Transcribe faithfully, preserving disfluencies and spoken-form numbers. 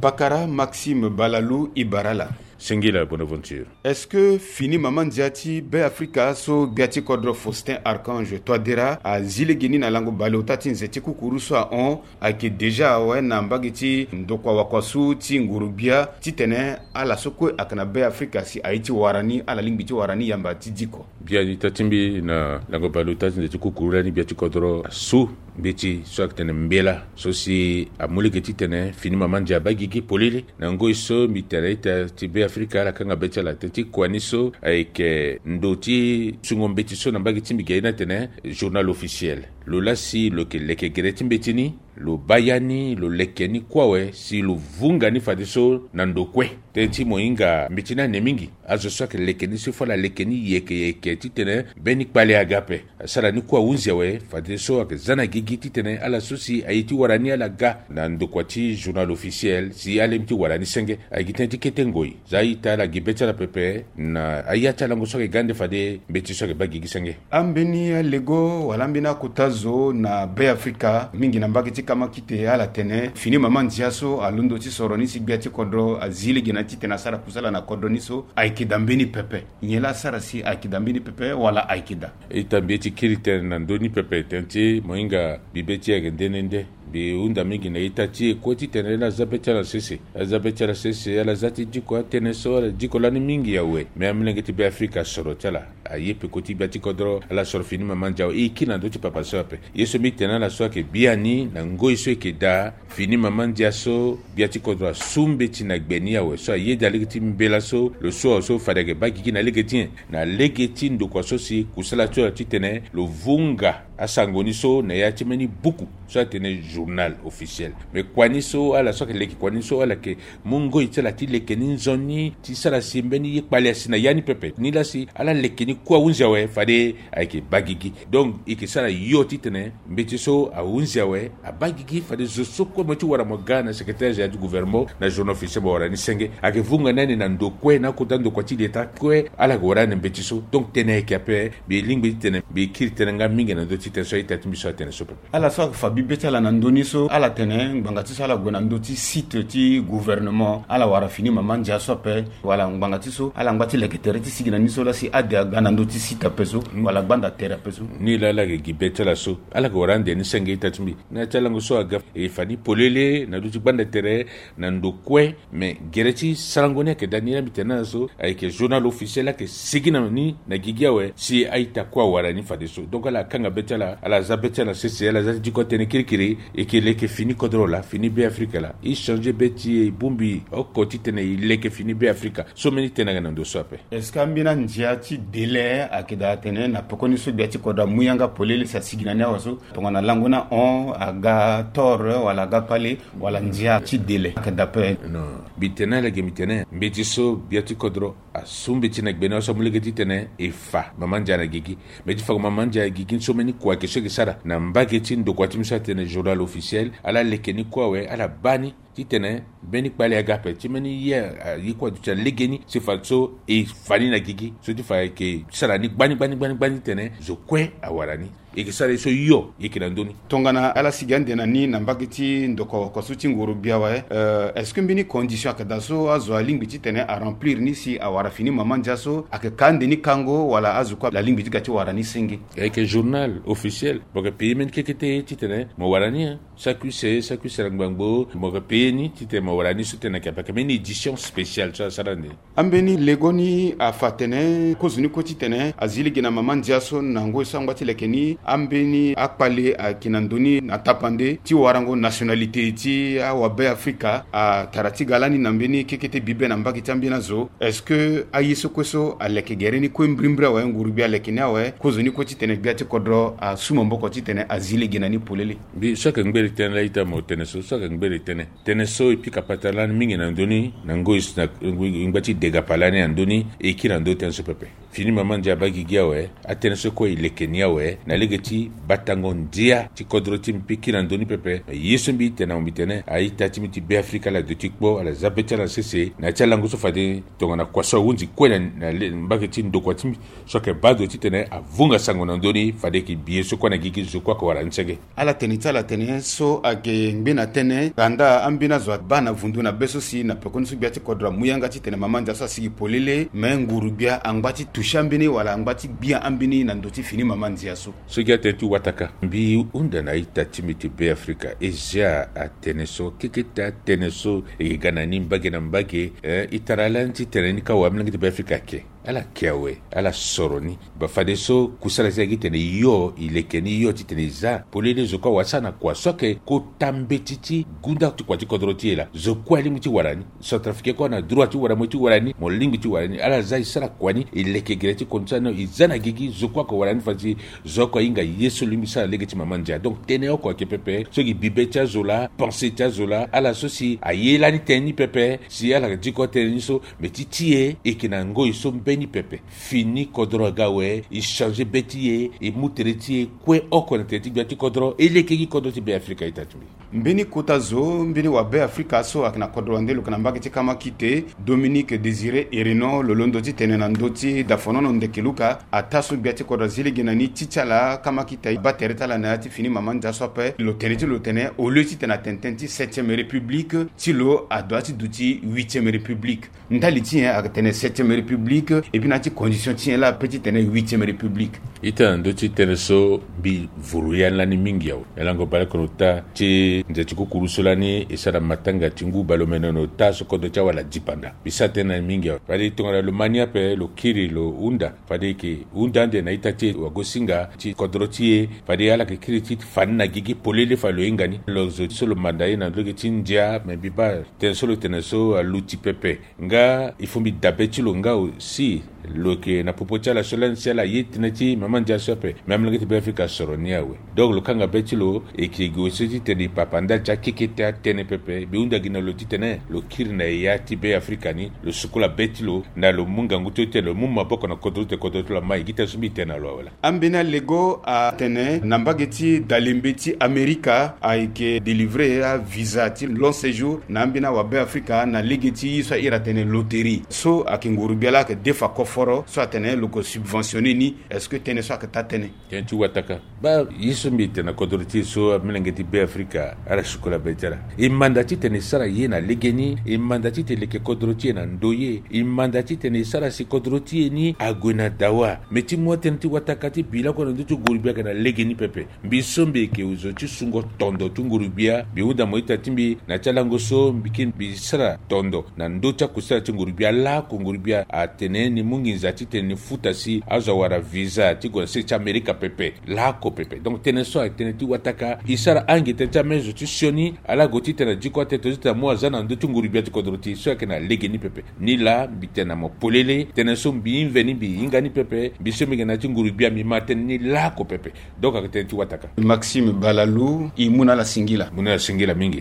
Pakara Maxime Balalou Ibarala. Singila Bonaventure. Est-ce que fini mama ndia ti Be Afrika so gbia ti kodro Faustin Archange Touadéra azi lege ni na lango baleota ti nze ti kukuru so ahon ayeke déjà awe na mbage ti ndokua wakuasu ti nguru-gbia titene ala so kue ayeke na Be Afrika si aye ti wara ni, ala lingbi ti wara ni yamba ti diko. Biani ita ti mbi na lango baleota ti nze ti kukuru lani gbia ti kodro asu mbeti so ayeke tene mbela so si amu lege titene fini mama ndia abaa gigi polele. Na ngoi so mbi tene ita ti Be Afrika ala kanga be ti ala tënë ti kua ni so ayeke ndo ti sungo mbeti so na mbage ti mbi ge aye ni atene journal officiel. Lo laa si lo yeke leke gere ti mbeti ni, lo baa ya ni, lo leke ni kue awe si lo vunga ni fadeso na ndo kue. Tënë ti mo hinga mbeti ni ane mingi. Azo so ayeke leke ni so fo ala leke ni yeke yeke titene mbeni kpale aga ape. Asara ni kue ahunzi awe fadeso ayeke za na gigi titene ala so si aye ti wara ni ala ga na ndokua ti journal officiel si ala lingbi ti wara ni senge. Ayeke gi tënë ti kete ngoi. Za ita ala gi be ti ala pepe na aya ti alango so ayeke ga nde fade mbeti so ayeke baa gigi senge. Ambeni alego wala ambeni akota zo na Be Afrika mingi na mbage ti kamakite ala tene fini mama ndia so alondo ti soro ni si gbia ti kodro azi lege na titene asara kusala na kodro ni so ayeke daa mbeni pepe. Nyen laa asara si ayeke daa mbeni pepe wala ayeke daa? Ita mbi ye ti kiri tënë na ndö ni pepe tënë ti mo hinga mbi be ti e ayeke nde nde nde. Mbi hunda mingi na ita ti e kue titene ala za be ti ala sese. Ala za be ti ala sese, ala za ti diko atënë so ala diko lani mingi awe. Me amolenge ti Be Afrika asoro ti ala aye peko ti gbia ti kodro ala soro fini mama ndia awe. E kiri na ndö ti papa so ape. Ye so mbi tene ala so ayeke biani na ngoi so e yeke daa fini mama ndia so gbia ti kodro asu mbeti na gbe ni awe so ayeda lege ti mbela so lo su awe so fade ayeke baa gigi na lege ti nyen? Na lege ti ndokua so si kusala ti lo titene lo vunga asango ni so na ya ti mbeni buku so atene journal officiel. Me kua ni so ala so ayeke leke kua ni so ala yeke mu ngoi ti ala ti leke ni nzoni ti sara si mbeni ye kpale asi na ya ni pepe. Ni laa si ala leke ni kue ahunzi awe fade ayeke baa gigi. Donc e yeke sara yo titene mbeti so ahunzi awe abaa gigi fade zo so kue mo ye ti wara mo ga na secrétaire général du gouvernement na journal officiel mo wara ni senge. Ayeke vunga ni ane na ndo kue na akota ndokua ti leta kue ala yeke wara ni na mbeti so. Donc tënë ayeke ape. Mbi lingbi titene mbi kiri tënë nga mingi na ndö ti tënë so a-ita ti mbi so atene so pepe. Ala so ayeke fa bibe ti ala na ndö ni so ala tene ngbanga ti so ala gue na ndö ti site ti gouvernement ala wara fini mama ndia so ape, wala ngbanga ti so ala ngba ti leke tere ti sigi na ni so laa si ade aga na ndö ti site ape so, wala gbanda tere ape so. Ni laa ala yeke gi be ti ala so ala yeke wara ande ni senge ita ti mbi. Na ya ti alango so aga e fa ni polele na ndö ti gbanda tere na ndo kue. Me gere ti sarango ni ayeke daa ni laa mbi tene na ala so ayeke journal officiel ayeke sigi na ni na gigi awe si a-ita kue awara ni fadeso. Donc ala kanga be ti ala, ala za be ti ala sese, ala za ti diko atënë kirikiri. E yeke leke fini kodro laa, fini Be Afrika laa. E changer be ti e, e bongbi oko titene e leke fini Be Afrika. So mbeni tënë ayeke na ndo so ape. Est-ce que ambeni andia ti délai ayeke daa atene na pekoni so gbia ti kodro amu yanga polele si asigi na ni awe so tongana lango ni ahon aga tore wala aga kpale wala ndia ti délai ayeke daa ape? Non. Mbi tene ala ge mbi tene mbeti so gbia ti kodro asu mbeti na gbe ni awe so amu lege titene e fa mama ndia na gigi. Mbi ye ti fa mama ndia na gigi ni so mbeni kua ayeke so e yeke sara na mbage ti ndokua ti mbi so atene journal officiel. Ala leke ni kue awe ala baa ni titene mbeni kpale aga ape ti mbeni ye aye kue aduti na legeni si fadeso e fa ni na gigi so ti fa e yeke sara ni gbani gbani gbani gbani titene zo kue awara ni. E yeke sara ye so hio e yeke na ndö ni. Tongana ala sigi ande na ni na mbage ti ndokua wakuasu ti nguru-gbia awe, euh, est-ce que mbeni condition ayeke daa so azo alingbi titene aremplir ni si awara fini mama ndia so? Ayeke ka ande ni kango wala azo kue alingbi ti ga ti wara ni senge? Ayeke journal officiel. Mo yeke payer mbeni kekete titene mo wara ni, hein. Sakuse sakuse na ngbangbo mo yeke payer ni titene mo wara ni so tene ayeke ape. Ayeke mbeni édition spéciale so asara ande. Ambeni lego ni afa atene kozoni kue titene azi lege na mama ndia so na ngoi so angba ti leke ni. Ambeni akpale ayeke na ndö ni na tapande ti warango nationalité ti awabe Afrika atara ti ga lani na mbeni kekete bibe na mbage ti ambeni azo. Est-ce que aye so kue so aleke gere ni kue mbirimbiri awe, nguru-gbia aleke ni awe, kozoni kue titene gbia ti kodro asu maboko titene azi lege na ni polele? Mbi so ayeke ngbere tënë laa ita mo tene so, so ayeke ngbere tënë. Tënë so e pika patara lani mingi na ndö ni na ngoi so na ngba ti dega pa lani na ndö ni e kiri na ndö tënë so pepe. fini mama ndia abaa gigi awe. Atënë so kue e leke ni awe na lege ti batango ndia ti kodro ti mbi kiri na ndö ni pepe. Ye so mbi tene na mbi tene a-ita ti mbi ti Beafrika ala duti kpo, ala za be ti ala na sese na ya ti alango so fade tongana kua so ahunzi kue na mbage ti ndokua ti mbi so ayeke baa ndo titene avunga sango na ndö ni fade e yeke bi ye so kue na gigi zo kue ayeke wara ni senge. Ala tene ti ala atene so ayeke ngbe na tënë, kanda ambeni azo abaa na vundu na be so si na pekoni so gbia ti kodro amu yanga titene mama ndia so asigi polele, me nguru-gbia angba ti toucher ambeni wala angba ti gbia ambeni na ndo ti fini mama ndia so. So gi atënë ti wataka, mbi hunda na a-ita ti mbi ti Beafrika e zia atënë so keketa, atënë so e yeke ga na ni mbage na mbage. Eh, e tara lani titene ni kâ awe amolenge ti Beafrika ayeke ala ke awe, ala soro ni. Ba fadeso kusala ti ala gi tene yo e leke ni yo titene e za polele zo kue awasana kua so ayeke kota mbeti ti gunda ti kua ti kodro ti e laa. Zo kue alingbi ti wara ni. Centrafricain kue na droit ti wara mo ti wara ni, mo lingbi ti wara ni. Ala za e sara kua ni, e leke gere ti kondu ti ala ni, e za na gigi zo kue ayeke wara ni fade si zo oko ahinga ye so lo lingbi sara lege ti mama ndia. Donc tënë oko ayeke pepe so gi bibe ti azo laa, pensée ti azo laa, ala so si aye lani tënë ni pepe si ala diko tënë ni so. Mais ti ti e e yeke na ngoi so mbeni pepe. Fini kodro aga awe, e changer be ti e, e mu tere ti e kue oko na tere ti gbia ti kodro, e leke gi kodro ti Beafrika. A-ita ti mbi, mbeni kota zo, mbeni wa Beafrika so ayeke na kodro wande lo yeke na mbage ti kamakite, Dominique Désiré Erenon, lo londo titene na ndö ti dafonono ndeke luka, ataa so gbia ti kodro azi lege na ni ti ti ala kamakite abaa tere ti ala na ya ti fini mama ndia so ape. Lo tene ti lo tene au lieu titene atene tënë ti septième république ti lo, adoit ti duti huitième république. Ndali ti nyen ayeke tene septième république, et puis na ya ti condition ti nyen laa ape titene huitième république? Ita na ndö ti tënë so mbi vuru ya lani mingi awe. Na lango baleoko na ota ti nze ti kukuru so lani e sara matanga ti ngu baleomene na ota so kodro ti awala dipanda. Mbi sara tënë na ni mingi awe. Fade tongana lo ma ni ape lo kiri lo hunda, fade e yeke hunda ande na ita ti e wagosinga ti kodro ti e. Fade ala yeke kiri ti fa ni na gigi polele fa lo hinga ni. Lo zo so lo manda ye na lege ti ndia, me mbi baa tënë so lo tene so aluti pepe. Nga il faut mbi dabe ti lo nga aussi. Lo yeke na popo ti ala so lani si ala ye tënë ti mama ndia so ape. Me amolenge ti Beafrika asoro ni awe. Donc lo kanga be ti lo, e yeke gue so titene e papa ndali ti akekete atënë pepe. Mbi hunda gi na lo titene lo kiri na eya ti Beafrika ni, lo sukola be ti lo, na lo mu ngangu ti lo titene lo mu maboko na kodro ti kodro ti lo ama. E gi tënë so mbi tene na lo awe laa. Ambeni alego atene na mbage ti dalembe ti Amerika ayeke délivrer avisa ti long séjour na ambeni awa Beafrika na lege ti ye so ahiri atene loterie. So ayeke nguru-gbia laa ayeke defa koforo so atene lo ko subventionner ni. Est-ce que tënë so ayeke taa tënë? Tënë ti wataka. Baa ye so mbi tene na kodro ti e so amolenge ti Beafrika ala sukola be ti ala. E manda titene e sara ye na legeni. E manda titene e leke kodro ti e na ndoye. E manda titene e sara si kodro ti e ni ague na dawa. Me ti mu atënë ti wataka ti bi lakue na ndö ti nguru-gbia ayeke na legeni pepe. Mbi so mbi yeke zo ti sungo tondo ti nguru-gbia, mbi hunda mo ita ti mbi na ya ti alango so mbi kiri mbi sara tondo na ndö ti akusala ti nguru-gbia. Laoko nguru-gbia atene ni mu nginza titene ni futa si azo awara visa ti gue na sese ti Amerika pepe. Laoko pepe. Donc tënë so ayeke tënë ti wataka. E sara ange tënë ti ameni zo ti sioni ala gue titene adiko atene titene amu aza na ndö ti nguru-gbia ti kodro ti e so ayeke na legeni pepe. Ni laa mbi tene na mo polele, tënë so mbi mveni mbi hinga ni pepe. Mbi so mbi yeke na ya ti nguru-gbia mbi ma tënë ni laoko pepe. Donc ayeke tënë ti wataka. Maxime Balalou, e mu na ala singila. Mu na ala singila mingi.